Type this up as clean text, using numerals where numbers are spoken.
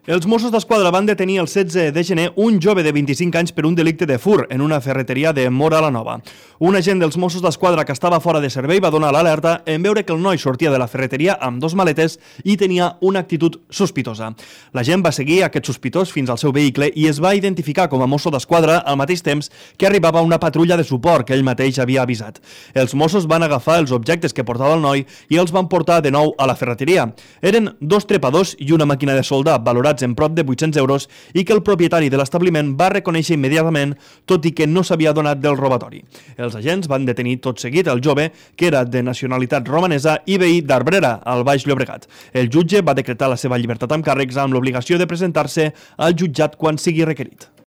Els Mossos d'Esquadra van detenir el 16 de gener un jove de 25 anys per un delicte de furt en una ferreteria de Móra la Nova. Un agent dels Mossos d'Esquadra que estava fora de servei va donar l'alerta en veure que el noi sortia de la ferreteria amb 2 maletes i tenia una actitud sospitosa. L'agent va seguir aquest sospitós fins al seu vehicle i es va identificar com a Mosso d'Esquadra al mateix temps que arribava una patrulla de suport que ell mateix havia avisat. Els Mossos van agafar els objectes que portava el noi i els van portar de nou a la ferreteria. Eren 2 trepadors i una màquina de soldar valorats en prop de 800 euros i que el propietari de l'establiment va reconèixer immediatament, tot i que no s'havia donat del robatori. Els agents van detenir tot seguit el jove, que era de nacionalitat romanesa i veí d'Arbrera, al Baix Llobregat. El jutge va decretar la seva llibertat amb càrrecs amb l'obligació de presentar-se al jutjat quan sigui requerit.